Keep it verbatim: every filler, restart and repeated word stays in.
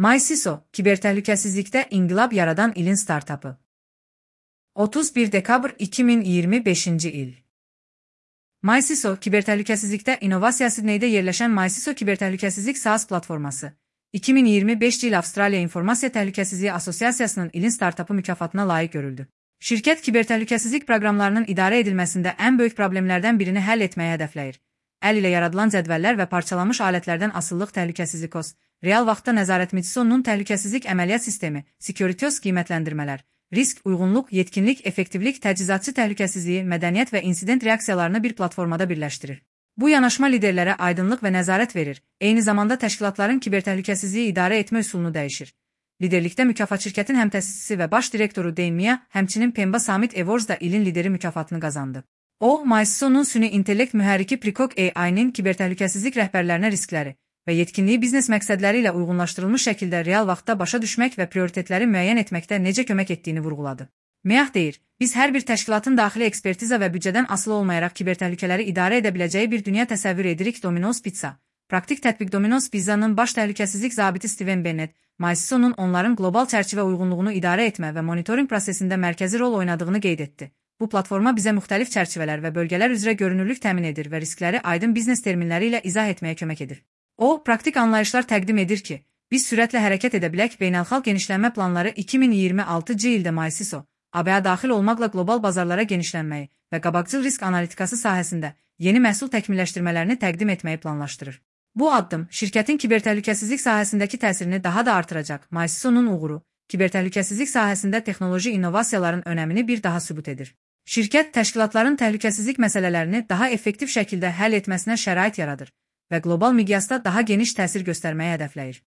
MyCISO, kibertəhlükəsizlikdə inqilab yaradan ilin startapı. otuz bir dekabr iki min iyirmi beşinci il. MyCISO, kibertəhlükəsizlikdə innovasiya Sidneydə yerləşən MyCISO kibertəhlükəsizlik SaaS platforması, iki min iyirmi beşinci il Avstraliya İnformasiya Təhlükəsizliyi Assosiasiyasının ilin startapı mükafatına layiq görüldü. Şirkət kibertəhlükəsizlik proqramlarının idarə edilməsində ən böyük problemlərdən birini həll etməyi hədəfləyir. Əl ilə yaradılan cədvəllər və parçalanmış alətlərdən asılılıq təhlükəsizlik O S, real vaxtda nəzarət MyCISO-nun təhlükəsizlik əməliyyat sistemi, Security O S qiymətləndirmələr, risk, uyğunluq, yetkinlik, effektivlik, təchizatçı təhlükəsizliyi, mədəniyyət və insident reaksiyalarını bir platformada birləşdirir. Bu yanaşma liderlərə aydınlıq və nəzarət verir, eyni zamanda təşkilatların kibertəhlükəsizliyi idarə etmə üsulunu dəyişir. Liderlikdə mükafat şirkətin həmtəsisçisi və baş direktoru Dane Mia, həmçinin Pemba Summit Awards da ilin lideri mükafatını qazandı. O, MyCISO-nun süni intellekt mühərriki Precog A I-nin kibertəhlükəsizlik rəhbərlərinə riskləri və yetkinliyi biznes məqsədləri ilə uyğunlaşdırılmış şəkildə real vaxtda başa düşmək və prioritetləri müəyyən etməkdə necə kömək etdiyini vurğuladı. Miyah deyir, biz hər bir təşkilatın daxili ekspertiza və büdcədən asılı olmayaraq kibertəhlükələri idarə edə biləcəyi bir dünya təsəvvür edirik. Domino's Pizza. Praktik tətbiq Domino's Pizza'nın baş təhlükəsizlik zabiti Steven Bennett, MyCISO-nun onların qlobal çərçivə uyğunluğunu idarə etmə və monitoring prosesində mərkəzi rol oynadığını qeyd etdi. Bu platforma bizə müxtəlif çərçivələr və bölgələr üzrə görünürlük təmin edir və riskləri aydın biznes terminləri ilə izah etməyə kömək edir. O, praktik anlayışlar təqdim edir ki, biz sürətlə hərəkət edə bilək. Beynəlxalq genişlənmə planları iki min iyirmi altıncı ildə MyCISO, A B A daxil olmaqla qlobal bazarlara genişlənməyi və qabaqcıl risk analitikası sahəsində yeni məhsul təkmilləşdirmələrini təqdim etməyi planlaşdırır. Bu addım şirkətin kibertəhlükəsizlik sahəsindəki təsirini daha da artıracaq. MyCISO-nun uğuru, kibertəhlükəsizlik sahəsində texnoloji innovasiyaların önəmini bir daha sübut edir. Şirkət təşkilatların təhlükəsizlik məsələlərini daha effektiv şəkildə həll etməsinə şərait yaradır və qlobal miqyasda daha geniş təsir göstərməyi hədəfləyir.